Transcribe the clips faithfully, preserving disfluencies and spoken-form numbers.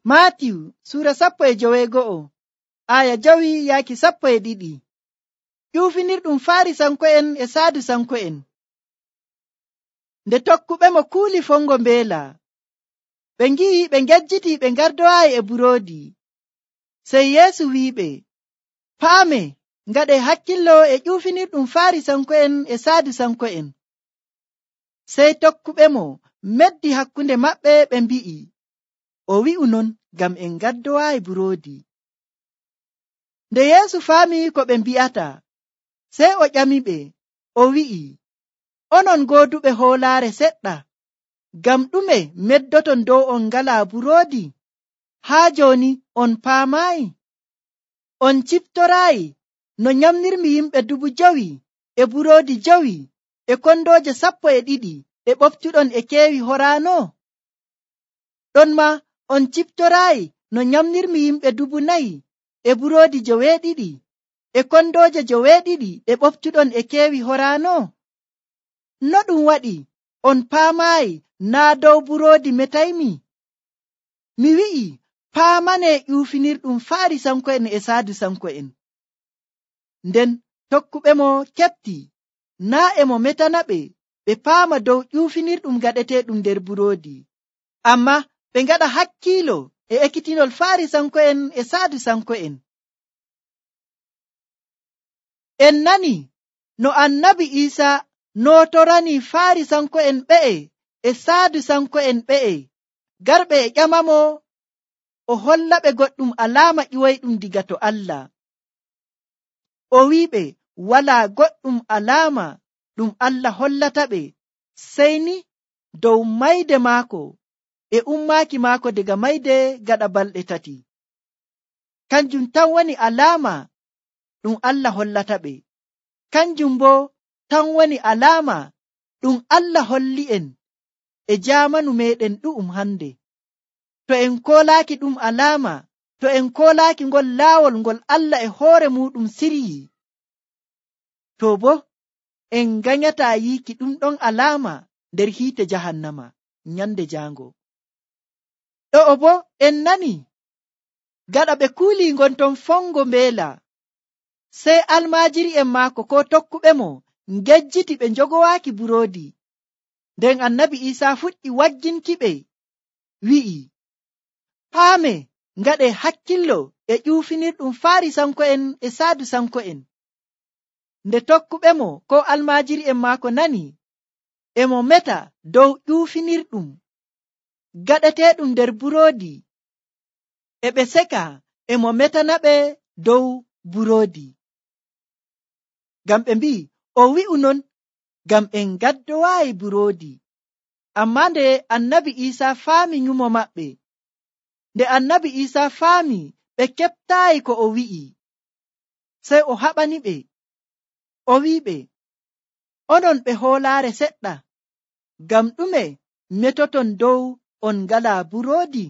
Maatiw suura sappo e joweego'o aya jawi yaaki sappo e ɗiɗi. ƴuufinirɗum Faarisanko'en e Sadusanko'en. Nde tokkuɓe mo kuuli fongo mbeela, ɓe ngi'i ɓe ngejjiti ɓe ngardowaayi e buroodi. Sey Yeesu wi'iɓe, paame ngaɗe hakkillo e ƴuufinirɗum Faarisanko'en e Sadusanko'en. Sey tokkuɓe mo meddi hakkunde maɓɓe ɓe mbi'i, o wi'u non ngam en ngardowaayi buroodi. Nde Yeesu faami ko ɓe mbi'ata, sey o ƴamiɓe, o wi'i, onon gooduɓe hoolaare seɗɗa, ngam ɗume meddoton dow on ngalaa buroodi? Haa jooni on paamaayi? On ciftoraayi no nyamnirmi yimɓe dubu jowi e buroodi jowi e kondooje sappo e ɗiɗi ɗe ɓoftuɗon e keewi horaano? Ɗonmaa on ciftoraayi no nyamnirmi yimɓe dubu nayi e buroodi joweeɗiɗi e kondooje joweeɗiɗi ɗe ɓoftuɗon e keewi horaano? No ɗum waɗi on paamaayi naa dow buroodi metaymi? Mi wi'i, paamanee ƴuufinirɗum Faarisanko'en e Sadusanko'en. Nden tokkuɓe mo keɓti naa e mo metana ɓe ɓe paama dow ƴuufinirɗum gaɗeteeɗum nder buroodi, ammaa ɓe ngaɗa hakkiilo e ekkitinol Faarisanko'en e Sadusanko'en. En nani no Annabi Iisaa nootoranii Faarisanko'en ɓe'e e Sadusanko'en ɓe'e garɓe e ƴamamo o hollaɓe goɗɗum alaama ƴiwoyɗum diga to Allah. O wi'iɓe walaa goɗɗum alaama ɗum Allah hollataɓe sey ni dow mayde maako e ummaaki maako daga mayde gaɗa balɗe tati. Kanjum tan woni alaama ɗum Allah hollataɓe. Kanjum boo tan woni alaama ɗum Allah holli'en e jaamanu meeɗen ɗu'um hande. To en koolaaki ɗum alaama, to en koolaaki ngol laawol ngol Allah e hoore muɗum siryi, to boo en ganyataa yiiki ɗum ɗon alaama nder hiite jahannama nyande jaango. Ɗo'o boo en nani gaɗa ɓe kuuli ngonton fongo mbeela, sey almaajiri'en maako ko tokkuɓe mo ngejjiti ɓe njogowaaki buroodi. Nden Annabi Iisaa fuɗɗi wagginkiɓe, wi'i, paame ngaɗe hakkillo e ƴuufinirɗum Faarisanko'en e Sadusanko'en. Nde tokkuɓe mo ko almaajiri'en maako nani e mo meta dow ƴuufinirɗum gaɗeteeɗum nder buroodi, e ɓe seka e mo metana ɓe dow buroodi. Ngam ɓe mbi'i, o wi'u non ngam en ngaddowaayi buroodi. Ammaa nde Annabi Iisaa faami nyumo maɓɓe, nde Annabi Iisaa faami ɓe keɓtaayi ko o wi'i, sey o haɓaniɓe, o wi'iɓe, onon ɓe hoolaare seɗɗa, ngam ɗume metoton dow on ngalaa buroodi?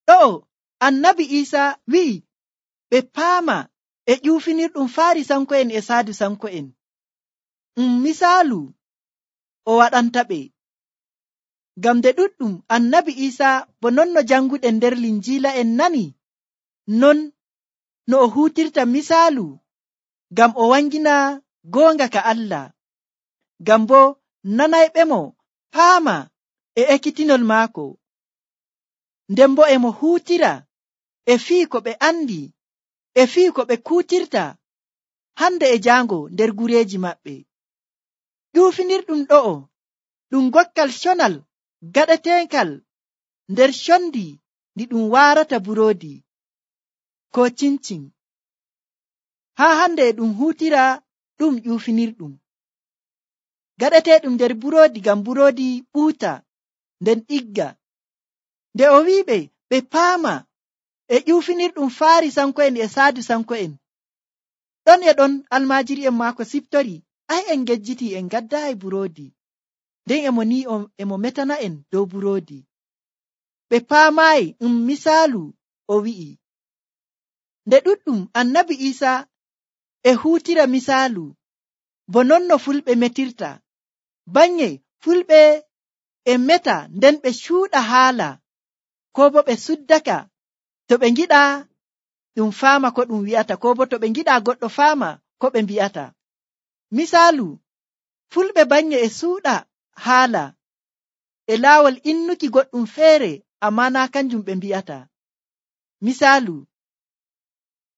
Ɗo'o Annabi Iisaa wi'i ɓe paama e ƴuufinirɗum Faarisanko'en e Sadusanko'en. Um misaalu o waɗanta ɓe. Ngam nde ɗuɗɗum Annabi Iisaa bo non no janguɗen nder Linjiila en nani, non no o huutirta misaalu ngam o wangina goonga ka Allah, ngam bo nanayɓe mo paama e ekkitinol maako. Nden bo e mo huutira e fii ko ɓe andi, e fii ko ɓe kuutirta hande e jaango nder gureeji maɓɓe. ƴuufinirɗum ɗo'o ɗum gokkal conal gaɗeteekal nder condi ndi ɗum waarata buroodi ko cincin. Haa hande e ɗum huutira ɗum ƴuufinirɗum gaɗeteeɗum nder buroodi ngam buroodi ɓuuta nden ɗigga. Nde o wi'iɓe ɓe paama e ƴuufinirɗum Faarisanko'en e Sadusanko'en, ɗon e ɗon almaajiri'en maako siftori, ai en ngejjiti en ngaddaayi buroodi, nden emo ni emo metana en dow buroodi. Ɓe paamaayi um misaalu o wi'i. Nde ɗuɗɗum Annabi Iisaa e huutira misaalu bo non no fulɓe metirta, banye fulɓe e meta nden ɓe cuuɗa haala ko bo ɓe suddaka to ɓe ngiɗa ɗum faama ko ɗum wi'ata, ko bo to ɓe ngiɗa goɗɗo faama ko ɓe mbi'ata. Misaalu, fulɓe banye e suuɗa haala e laawol innuki goɗɗum feere amma naa kanjum ɓe mbi'ata. Misaalu,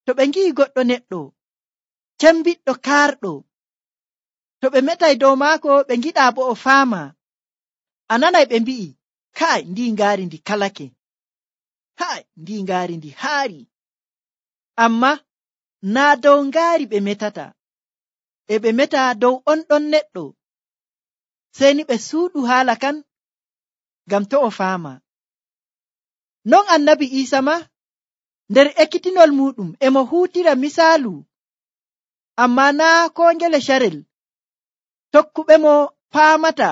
to ɓe ngi'i goɗɗo neɗɗo cembiɗɗo kaarɗo, to ɓe metay dow maako ɓe ngiɗa bo o faama, a nanay ɓe mbi'i kai ndi ngaari ndi kalake, kai ndi ngaari ndi haari. Amma naa dow ngaari ɓe metata, e ɓe meta dow on ɗon neɗɗo, sey ni ɓe suuɗu haala kan ngam to o faama. Non annabi Iisa ma nder ekkitinol muɗum e mo huutira misaalu, amma naa koo ngele carel tokkuɓe mo paamata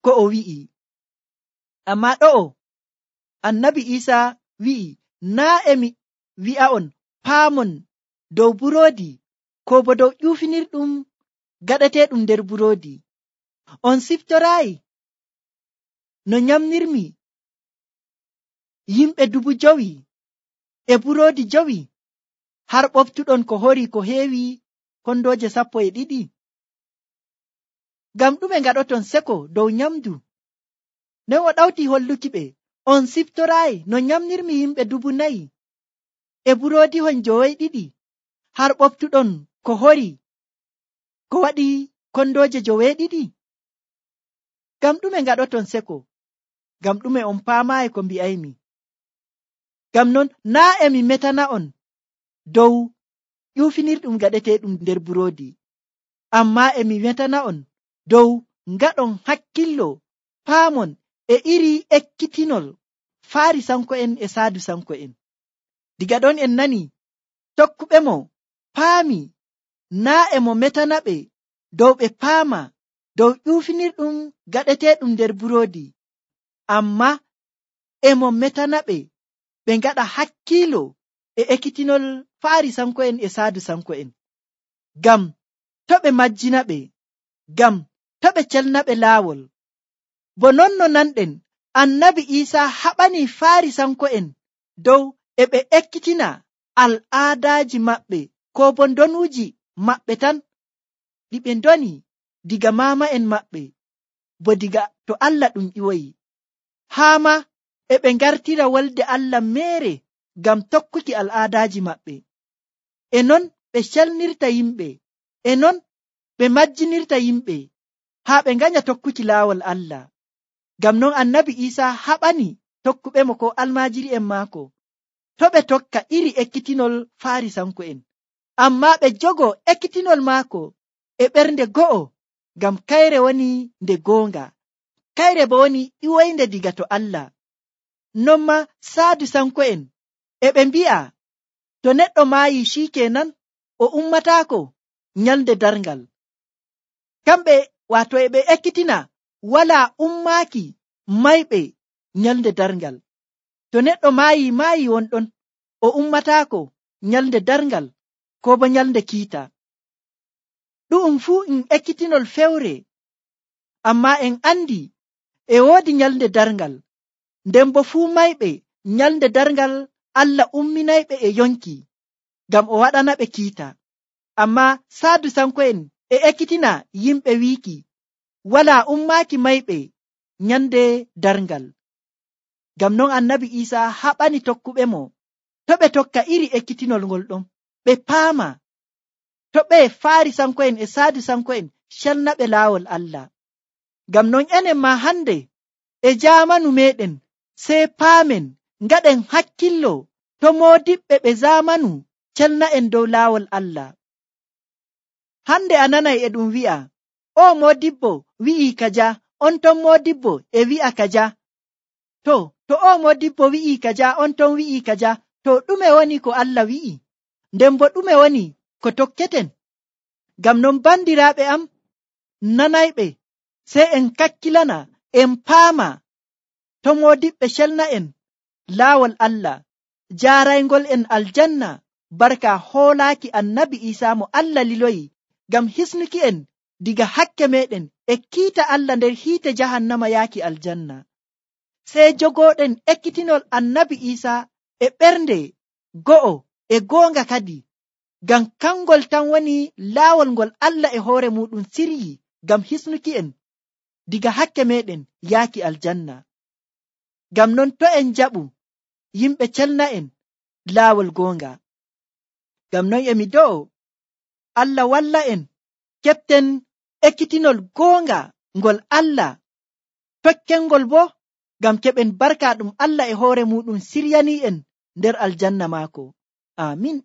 ko o wi'i. Amma ɗo'o annabi Iisa wi'i, naa e mi wi'a'on paamon dow buroodi ko bo dow ƴuufinirɗum gaɗeteeɗum nder buroodi. On siftoraayi no nyamnirmi yimɓe dubu jowi e buroodi jowi, har ɓoftuɗon ko hori ko heewi kondooje sappo e ɗiɗi. Ngam ɗume ngaɗoton seko dow nyamdu? Nden o ɗawti holluki ɓe, on siftoraayi no nyamnirmi yimɓe dubu nayi e buroodihon joweeɗiɗi, har ɓoftuɗon ko hori ko waɗi kondooje joweeɗiɗi. Ngam ɗume ngaɗoton seko? Ngam ɗume on paamaayi ko mbi'aymi? Ngam non naa e mi metana'on dow ƴuufinirɗum gaɗeteeɗum nder buroodi, amma e mi metana'on dow ngaɗon hakkillo paamon e iri ekkitinol Faarisanko'en e Saadusanko'en. Diga ɗon en nani tokkuɓe mo paami naa e mo metana ɓe dow ɓe paama dow ƴuufinirɗum gaɗeteeɗum nder buroodi, amma e mo metana ɓe ɓe ngaɗa hakkiilo e ekkitinol Faarisanko'en e Saadusanko'en, ngam to ɓe majjina ɓe, ngam to ɓe celna ɓe laawol. Bo non no nanɗen annabi Iisa haɓani Faarisanko'en dow e ɓe ekkitina al'aadaaji maɓɓe ko bo ndonuuji maɓɓe tan ɗi ɓe ndoni diga maama'en maɓɓe, bo diga to Allah ɗum ƴiwoyi, haa ma e ɓe ngartira wolde Allah meere ngam tokkuki al'aadaaji maɓɓe. E non ɓe celnirta yimɓe, e non ɓe majjinirta yimɓe haa ɓe nganya tokkuki laawol Allah. Ngam non annabi Iisa haɓani tokkuɓe mo ko almaajiri'en maako to ɓe tokka iri ekkitinol Faarisanko'en, amma ɓe jogo ekkitinol maako e ɓernde go'o, ngam kayre woni nde goonga, kayre bo woni ƴiwoynde diga to Allah. Non ma Saadusanko'en e ɓe mbi'a to neɗɗo maayi shikenan o ummataako nyalde darngal. Kamɓe waato e ɓe ekkitina walaa ummaaki mayɓe nyalde darngal. To neɗɗo maayi maayi wonɗon o ummataako nyalde darngal ko bo nyalde kiita. Ɗu'um fuu in ekkitinol fewre, amma en andi e woodi nyalde darngal, nden bo fuu mayɓe nyalde darngal Allah umminayɓe e yonki ngam o waɗana ɓe kiita. Amma Saadusanko'en e ekkitina yimɓe wiiki walaa ummaaki mayɓe nyande darngal. Ngam non annabi Iisa haɓani tokkuɓe mo to ɓe tokka iri ekkitinol ngol ɗon, ɓe paama to ɓe Faarisanko'en e Saadusanko'en celnaɓe laawol Allah. Ngam non enen ma hande e jaamanu meɗen sey paamen ngaɗen hakkillo to moodiɓɓe ɓe zamanu celna'en dow laawol Allah. Hande a nanay e ɗum wi'a o moodibbo wi'i kaja, on ton moodibbo e wi'a kaja. To to o moodibbo wi'i kaja, on ton wi'i kaja, to ɗume woni ko Allah wi'i? Nden bo ɗume woni ko tokketen? Ngam non bandiraaɓe am nanayɓe sey en kakkilana en paama to moodiɓɓe celna'en laawol Allah, jaaraygol en aljanna barka hoolaaki annabi Iisa mo Allah liloyi ngam hisnuki en diga hakke meɗen e kiita Allah nder hiite jahannama yaaki aljanna. sey jogooɗen ekkitinol annabi Iisa e ɓernde go'o e goonga kadi, ngam kangol tan woni laawol ngol Allah e hoore muɗum siryi ngam hisnuki'en diga hakke meɗen yaaki aljanna. Ngam non to en jaɓu yimɓe celna'en laawol goonga. Ngam non emi do'o Allah walla en keɓten ekkitinol goonga ngol Allah tokkengol bo ngam keɓen barka ɗum Allah e hoore muɗum siryani'en nder aljanna maako. Amin.